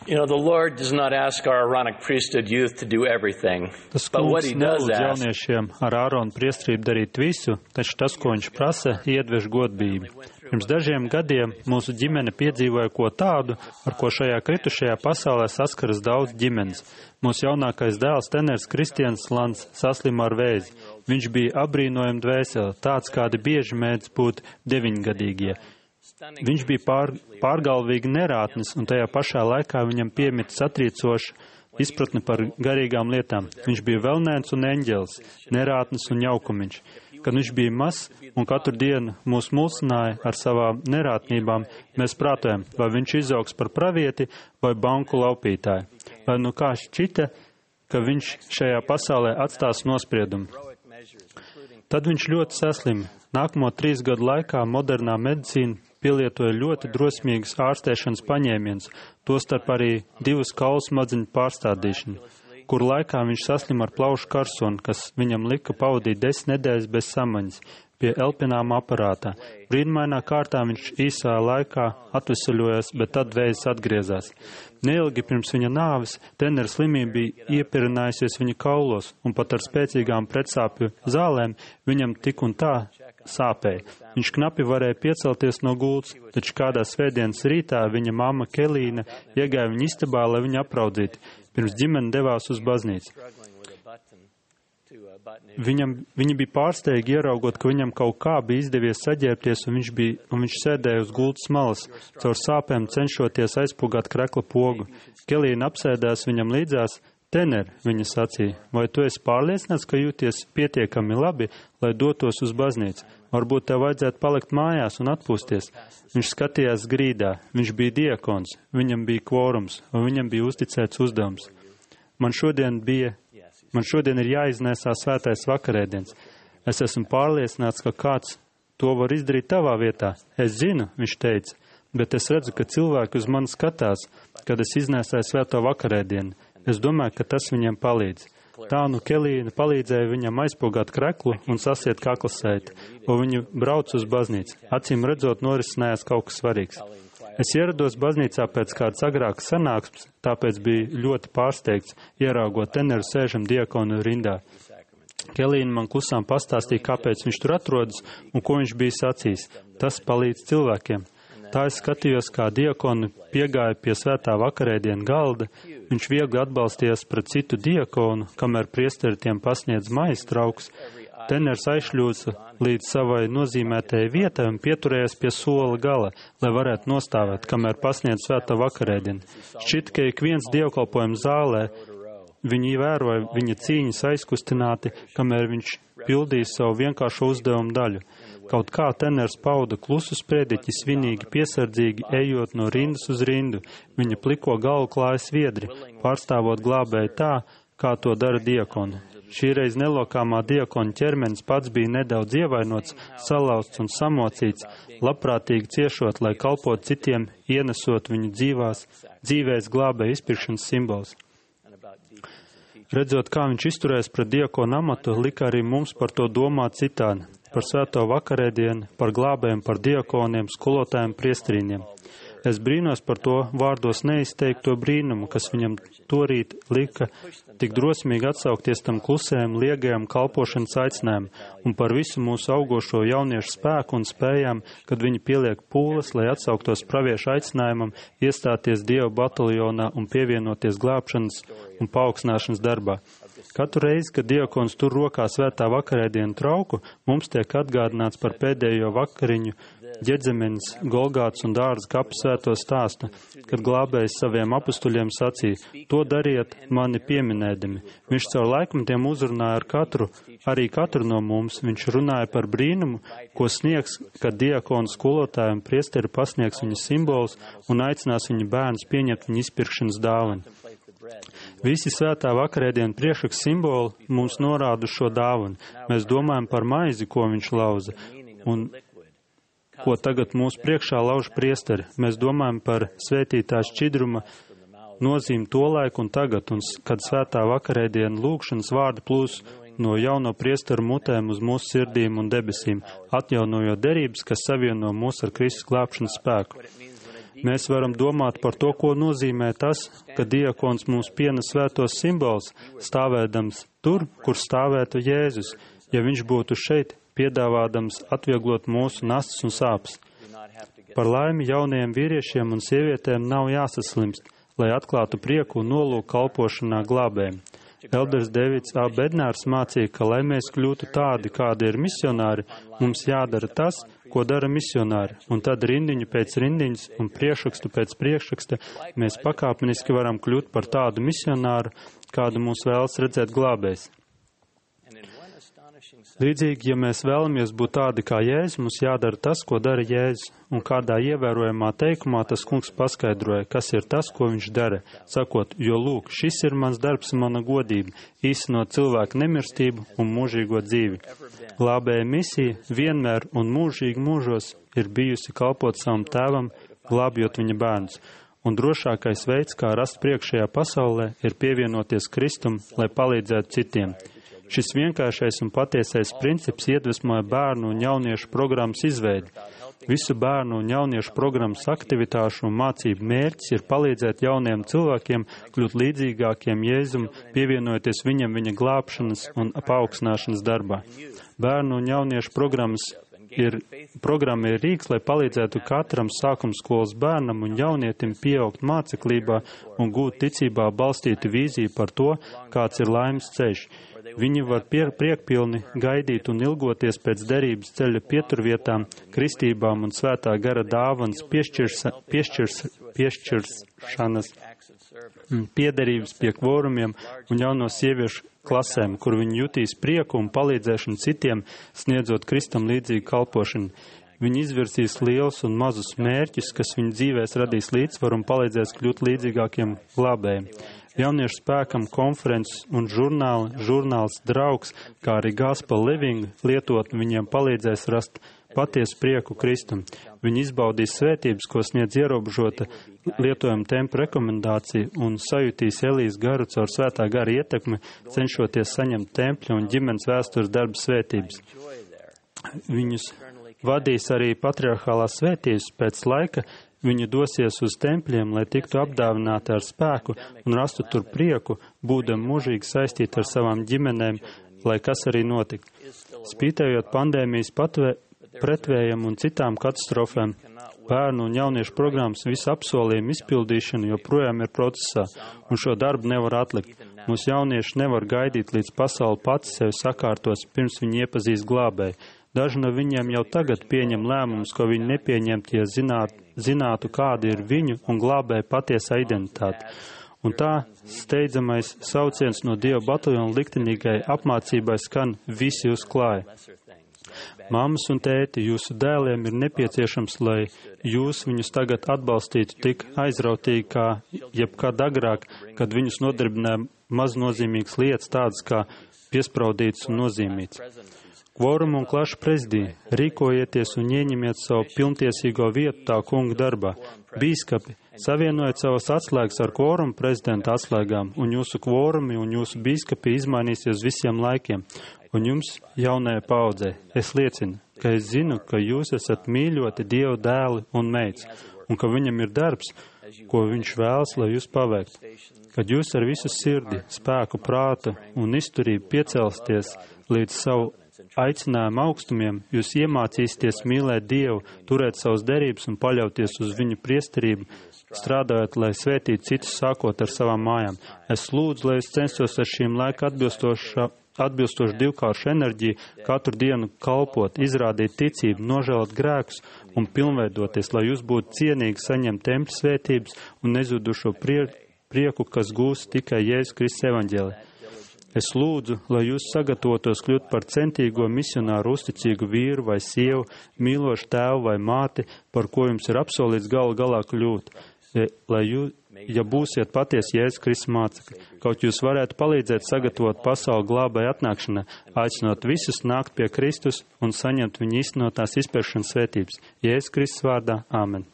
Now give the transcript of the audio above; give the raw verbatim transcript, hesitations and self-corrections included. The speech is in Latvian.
You know, the Lord does not ask our Aaronic priesthood youth to do everything. Tas But what kungs he does nelūdz ask jauniešiem ar Āronu priestrību darīt visu, taču tas, ko viņš prasa, iedvež godbību. Pirms dažiem gadiem mūsu ģimene piedzīvoja ko tādu, ar ko šajā kritušajā pasaulē saskaras daudz ģimenes. Mūsu jaunākais dēls, teners Kristians Lants, saslima ar vēzi. Viņš bija abrīnojami dvēseli, tāds, kādi bieži mēdz būt deviņgadīgie. Viņš bija pār, pārgalvīgi nerātnis, un tajā pašā laikā viņam piemita satriecoša izpratne par garīgām lietām. Viņš bija velnēns un eņģelis, nerātnis un jaukumiņš. Kad viņš bija mazs un katru dienu mūs mulsināja ar savām nerātnībām, mēs prātojam, vai viņš izaugs par pravieti vai banku laupītāju. Vai nu kā šķita, ka viņš šajā pasaulē atstās nospriedumu. Tad viņš ļoti saslima. Nākamo trīs gadu laikā modernā medicīna pielietoja ļoti drosmīgas ārstēšanas paņēmienus, tostarp arī divas kaulu smadziņu pārstādīšanu, kur laikā viņš saslima ar plaušu karsonu, kas viņam lika pavadīt desmit nedēļas bez samaņas pie elpināma aparātā. Brīnumainā kārtā viņš īsā laikā atvesaļojās, bet tad vēzis atgriezās. Neilgi pirms viņa nāves tenera slimība bija iepirinājusies viņa kaulos, un pat ar spēcīgām pretsāpju zālēm viņam tik un tā sāpēja. Viņš knapi varēja piecelties no gultas, taču kādā svētdienas rītā viņa mamma Kelīna iegāja viņa istabā, lai viņu apraudzītu, pirms ģimene devās uz baznīcu. Viņam, viņi bija pārsteigi ieraugot, ka viņam kaut kā bija izdevies saģērbties, un viņš, bija, un viņš sēdēja uz gultas malas, caur sāpēm cenšoties aizpūgāt krekla pogu. Kelīna apsēdās viņam līdzās. Tener, viņa sacīja, vai tu esi pārliecināts, ka jūties pietiekami labi, lai dotos uz baznīcu? Varbūt tev vajadzētu palikt mājās un atpūsties. Viņš skatījās grīdā, viņš bija diakons, viņam bija kvorums, un viņam bija uzticēts uzdevums. Man šodien bija, man šodien ir jāiznēsā svētais vakarēdiens. Es esmu pārliecināts, ka kāds to var izdarīt tavā vietā. Es zinu, viņš teica, bet es redzu, ka cilvēki uz mani skatās, kad es iznēsāju svēto vakarēdienu. Es domāju, ka tas viņam palīdz. Tā nu Kelīna palīdzēja viņam aizpogāt kreklu un sasiet kaklasēti, un viņu brauc uz baznīcu. Acīm redzot, norisinājās kaut kas svarīgs. Es ierados baznīcā pēc kādas agrākas sanāksmes, tāpēc bija ļoti pārsteigts, ieraugot teneru sēžam diakonu rindā. Kelīna man klusām pastāstīja, kāpēc viņš tur atrodas un ko viņš bija sacījis. Tas palīdz cilvēkiem. Tā es skatījos, kā diakoni piegāja pie svētā vakarēdiena galda. Viņš viegli atbalstījās pret citu diakonu, kamēr priesteri tiem pasniedz maijas trauks. Teners aizšļūca līdz savai nozīmētajai vietai un pieturējās pie sola gala, lai varētu nostāvēt, kamēr pasniedz svētā vakarēdienu. Šķita, ka ik viens dievkalpojums zālē, viņi vēroja viņa cīņas aizkustināti, kamēr viņš pildīja savu vienkāršo uzdevumu daļu. Kaut kā teners pauda klusu sprediķi, svinīgi, piesardzīgi, ejot no rindas uz rindu. Viņa pliko galvu klāja sviedri, pārstāvot glābēju tā, kā to dara diakoni. Šīreiz nelokāmā diakona ķermenis pats bija nedaudz ievainots, salauzts un samocīts, labprātīgi ciešot, lai kalpot citiem, ienesot viņu dzīvās, dzīvēs glābēju izpirkšanas simbols. Redzot, kā viņš izturēs pret diakonu amatu, lika arī mums par to domāt citādi. Par svēto vakarēdienu, par glābējiem, par diakoniem, skolotājiem, priestrīņiem. Es brīnos par to vārdos neizteikto brīnumu, kas viņam torīt lika tik drosmīgi atsaukties tam klusējam, liegajam kalpošanas aicinājumam un par visu mūsu augošo jauniešu spēku un spējām, kad viņi pieliek pūles, lai atsauktos praviešu aicinājumam, iestāties Dieva bataljonā un pievienoties glābšanas un paaugstināšanas darbā. Katru reizi, kad diakons tur rokā svētā vakarēdienu trauku, mums tiek atgādināts par pēdējo vakariņu Ģedzemenes, Golgātas un Dārza kapu svēto stāstu, kad glābējs saviem apustuļiem sacīja, to dariet mani pieminēdami. Viņš caur laikmetiem uzrunāja ar katru, arī katru no mums. Viņš runāja par brīnumu, ko sniegs, kad diakonu skolotāji un priesteri pasniegs viņa simbolus un aicinās viņa bērnus pieņemt viņa izpirkšanas dāvanu. Visi svētā vakarēdienu priekšraks simboli mums norāda šo dāvanu. Mēs domājam par maizi, ko viņš lauza, un ko tagad mūsu priekšā lauž priesteri. Mēs domājam par svētītā šķidruma nozīmi to laiku un tagad, un kad svētā vakarēdienu lūgšanas vārdi plūs no jauno priesteru mutēm uz mūsu sirdīm un debesīm, atjaunojot derības, kas savieno mūs ar Kristus glābšanas spēku. Mēs varam domāt par to, ko nozīmē tas, ka diakons mums pienes svētos simbols, stāvēdams tur, kur stāvētu Jēzus, ja viņš būtu šeit, piedāvādams atvieglot mūsu nastas un sāpes. Par laimi jaunajiem vīriešiem un sievietēm nav jāsaslimst, lai atklātu prieku un nolūku kalpošanā glābējiem. Elders Davids A. Bednārs mācīja, ka, lai mēs kļūtu tādi, kādi ir misionāri, mums jādara tas, ko dara misionāri, un tad rindiņu pēc rindiņas un priekšrakstu pēc priekšraksta mēs pakāpeniski varam kļūt par tādu misionāru, kādu mūs vēlas redzēt glābējs. Līdzīgi, ja mēs vēlamies būt tādi kā Jēzus, mums jādara tas, ko dara Jēzus, un kādā ievērojamā teikumā tas kungs paskaidroja, kas ir tas, ko viņš dara, sakot, jo lūk, šis ir mans darbs un mana godība, īstenot cilvēku nemirstību un mūžīgo dzīvi. Glābēja misija vienmēr un mūžīgi mūžos ir bijusi kalpot savam tēvam, glābjot viņa bērnus, un drošākais veids, kā rast priekšējā pasaulē, ir pievienoties Kristum, lai palīdzētu citiem. Šis vienkāršais un patiesais princips iedvesmoja bērnu un jauniešu programmas izveidi. Visu bērnu un jauniešu programmas aktivitāšu un mācību mērķis ir palīdzēt jauniem cilvēkiem kļūt līdzīgākiem Jēzum, pievienojoties viņam viņa glābšanas un paaugstināšanas darbā. Bērnu un jauniešu programmas ir, programma ir rīks, lai palīdzētu katram sākumskolas bērnam un jaunietim pieaugt māceklībā un gūt ticībā balstītu vīziju par to, kāds ir laimes ceļš. Viņi var pie, priekpilni gaidīt un ilgoties pēc derības ceļa pieturvietām, kristībām un svētā gara dāvanas piešķirs, piešķirs, piešķiršanas, piederības pie kvorumiem un jauno sieviešu klasēm, kur viņi jutīs prieku un palīdzēšanu citiem, sniedzot Kristam līdzīgu kalpošanu. Viņi izvirsīs lielus un mazus mērķus, kas viņu dzīvēs radīs līdzsvaru un palīdzēs kļūt līdzīgākiem glābējiem. Jauniešu spēkam konferences un žurnāli, žurnāls draugs, kā arī Gospel Living lietot, viņiem palīdzēs rast patiesu prieku Kristum. Viņi izbaudīs svētības, ko sniedz ierobežota lietojuma tempa rekomendācija un sajutīs Elijas garu caur svētā gara ietekmi, cenšoties saņemt tempļa un ģimenes vēstures darba svētības. Viņus vadīs arī patriarchālās svētības pēc laika. Viņi dosies uz tempļiem, lai tiktu apdāvināti ar spēku un rastu tur prieku, būdami mūžīgi saistīti ar savām ģimenēm, lai kas arī notika. Spītējot pandēmijas patvē, pretvējam un citām katastrofēm, bērnu un jauniešu programmas visu apsolījumu izpildīšana joprojām ir procesā, un šo darbu nevar atlikt. Mūsu jaunieši nevar gaidīt, līdz pasauli pati sevi sakārtos, pirms viņi iepazīs glābēju. Daži no viņiem jau tagad pieņem lēmumus, ko viņi nepieņemt, ja zināt, zinātu, kāda ir viņu un glābēja patiesa identitāte. Un tā steidzamais sauciens no Dieva bataljona liktenīgai apmācībai skan visi uzklāja. Mammas un tēti, jūsu dēliem ir nepieciešams, lai jūs viņus tagad atbalstītu tik aizrautīgi kā jebkad agrāk, kad viņus nodarbināja maznozīmīgas lietas tādas kā piespraudītas un nozīmītas. Kvorumu un klašu prezidija, rīkojieties un ieņemiet savu pilntiesīgo vietu tā kunga darbā. Bīskapi, savienojiet savas atslēgas ar kvorumu prezidenta atslēgām, un jūsu kvorumi un jūsu bīskapi izmainīsies visiem laikiem. Un jums, jaunajai paudzē, es liecinu, ka es zinu, ka jūs esat mīļoti Dieva dēli un meitas, un ka viņam ir darbs, ko viņš vēlas, lai jūs paveiktu. Kad jūs ar visu sirdi, spēku, prātu un izturību piecelsties līdz savu aicinājumu augstumiem, jūs iemācīsieties mīlēt Dievu, turēt savas derības un paļauties uz viņu priesterību, strādājot, lai svētītu citus sākot ar savām mājām. Es lūdzu, lai es censtos ar šīm laika atbilstošu divkāršu enerģiju katru dienu kalpot, izrādīt ticību, nožēlot grēkus un pilnveidoties, lai jūs būtu cienīgi saņemt tempļa svētības un nezudušo prie, prieku, kas gūs tikai Jēzus Kristus evaņģēlī. Es lūdzu, lai jūs sagatavotos kļūt par centīgo misionāru, uzticīgu vīru vai sievu, mīlošu tēvu vai māti, par ko jums ir apsolīts galu galā kļūt, lai jūs, ja būsiet patiesi Jēzus Kristus mācekļi, kaut jūs varētu palīdzēt sagatavot pasauli glābēju atnākšanai, aicinot visus nākt pie Kristus un saņemt viņa īstenotās izpēršanas svētības. Jēzus Kristus vārdā. Āmen.